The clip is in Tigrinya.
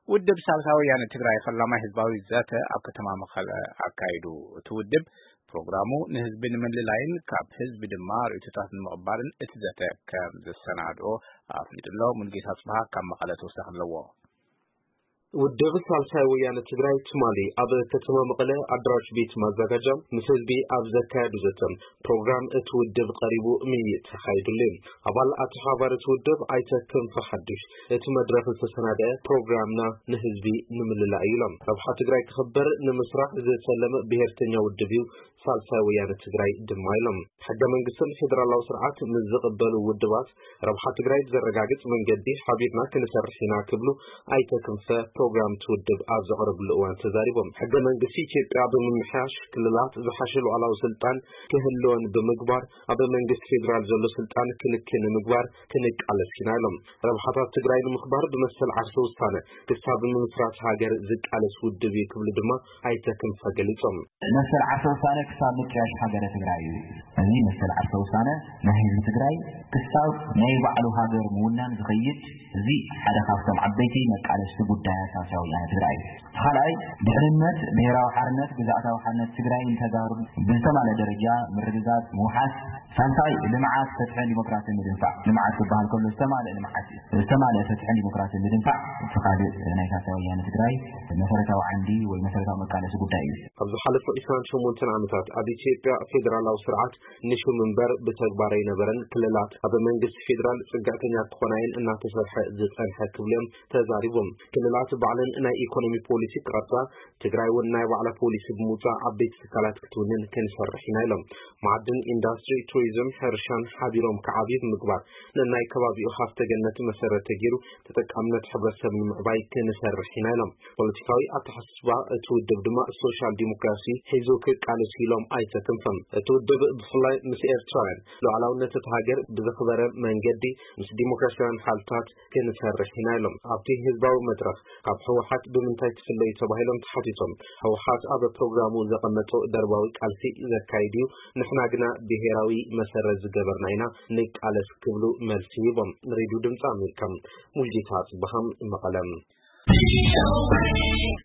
ውድብ ሳልሳይ ወያነ ትግራይ ፈላማይ ህዝባዊ ዘተ ኣብ ከተማ መቐለ ኣካይዱ። እቲ ውድብ ፕሮግራሙ ንህዝቢ ንምልላይን ካብ ህዝቢ ድማ ርእይቶታት ንምቕባልን እቲ ዘተ ከም ዘሰናድኦ ኣፍሊጡ ኣሎ። ሙልጌታ ጽብሃ ካብ መቐለ ተወሳኺ ኣለዎ። ውድብ ሳልሳይ ወያነ ትግራይ ትማሊ ኣብ ከተማ መቐለ ኣዳራሽ ቤት ማዘጋጃ ምስ ህዝቢ ኣብ ዘካየዱ ዘተ ፕሮግራም እቲ ውድብ ቀሪቡ ምይይጥ ተኻይዱሉ። ኣባል ኣተሓባሪ እቲ ውድብ ኣይተ ክንፈ ሓዱሽ እቲ መድረኽ ዝተሰናደአ ፕሮግራምና ንህዝቢ ንምልላእ እዩ ኢሎም። ረብሓ ትግራይ ክኽበር ንምስራሕ ዝተለመ ብሄርተኛ ውድብ እዩ ሳልሳይ ወያነ ትግራይ ድማ ኢሎም። ሕገ መንግስትን ፌደራላዊ ስርዓት ምስ ዝቕበሉ ውድባት ረብሓ ትግራይ ብዘረጋግፅ መንገዲ ሓቢርና ክንሰርሕ ኢና ክብሉ ኣይተ ክንፈ ፕሮግራም እቲ ውድብ ኣብ ዘቕረብሉ እዋን ተዛሪቦም። ሕገ መንግስቲ ኢትዮጵያ ብምምሕያሽ ክልላት ዝሓሸ ሉዓላዊ ስልጣን ክህልወን ብምግባር ኣብ መንግስቲ ፌደራል ዘሎ ስልጣን ክንክን ንምግባር ክንቃለስ ኢና ኢሎም። ረብሓታት ትግራይ ንምኽባር ብመሰል ዓርሰ ውሳነ ክሳብ ምምስራት ሃገር ዝቃለስ ውድብ እዩ ክብሉ ድማ ኣይተ ክንፈ ገሊጾም። መሰል ዓርሰ ውሳነ ክሳብ ምጥያሽ ሃገረ ትግራይ እዩ። እዚ መሰል ዓርሰ ውሳነ ናይ ህዝቢ ትግራይ ክሳብ ናይ ባዕሉ ሃገር ምውናን ዝኸይድ፣ እዚ ሓደ ካብቶም ዓበይቲ መቃለስቲ ጉዳያት ሳልሳይ ወያነ ትግራይ እዩ። ካልኣይ፣ ድሕንነት፣ ብሄራዊ ሓርነት፣ ግዝኣታዊ ሓርነት ትግራይን ተጋሩን ብዝተማልአ ደረጃ ምርግጋጽ፣ ምውሓስ። ሳልሳይ፣ ልምዓት፣ ፍትሕን ዲሞክራሲን ምድንፋዕ። ልምዓት ክበሃል ከሎ ዝተማልአ ልምዓት እዩ። ዝተማልአ ፍትሕን ዲሞክራሲን ምድንፋዕ እቲ ካልእ ናይ ሳልሳይ ወያነ ትግራይ መሰረታዊ ዓንዲ ወይ መሰረታዊ መቃለሲ ጉዳይ እዩ። ኣብ ዝሓለፉ ዒስራን ሸሞንተን ዓመታት ኣብ ኢትዮጵያ ፌደራላዊ ስርዓት ንሹም እምበር ብተግባር ኣይነበረን። ክልላት ኣብ መንግስቲ ፌደራል ጽግዕተኛ ክኾና እየን እናተሰርሐ ዝጸንሐ ክብሉ እዮም ተዛሪቦም። ክልላት ባዕለን ናይ ኢኮኖሚ ፖሊሲ ክቐርጻ፣ ትግራይ እውን ናይ ባዕላ ፖሊሲ ብምውጻእ ዓበይቲ ትካላት ክትውንን ክንሰርሕ ኢና ኢሎም። መዓድን፣ ኢንዱስትሪ፣ ቱሪዝም፣ ሕርሻን ሓቢሮም ክዓብዩ ብምግባር ንናይ ከባቢኡ ሃፍተ ገነት መሰረት ተገይሩ ተጠቃምነት ሕብረተሰብ ንምዕባይ ክንሰርሕ ኢና ኢሎም። ፖለቲካዊ ኣተሓሳስባ እቲ ውድብ ድማ ሶሻል ዲሞክራሲ ሒዙ ክቃለስ ኢሎም ኣይተ ክንፈ። እቲ ውድብ ብፍላይ ምስ ኤርትራውያን ሉዓላውነት እቲ ሃገር ብዘኽበረ መንገዲ ምስ ዲሞክራሲያውያን ሓልታት ክንሰርሕ ኢና ኢሎም። ኣብቲ ህዝባዊ መድረኽ ካብ ህወሓት ብምንታይ ትፍለዩ ተባሂሎም ተሓቲቶም፣ ህወሓት ኣብ ፕሮግራሙ ዘቐመጦ ደርባዊ ቃልሲ ዘካይድ እዩ፣ ንሕና ግና ብሄራዊ መሰረት ዝገበርና ኢና ንቃለስ ክብሉ መልሲ ሂቦም። ንሬድዮ ድምፂ ኣሜሪካ ሙልጌታ ጽበሃም መቐለም።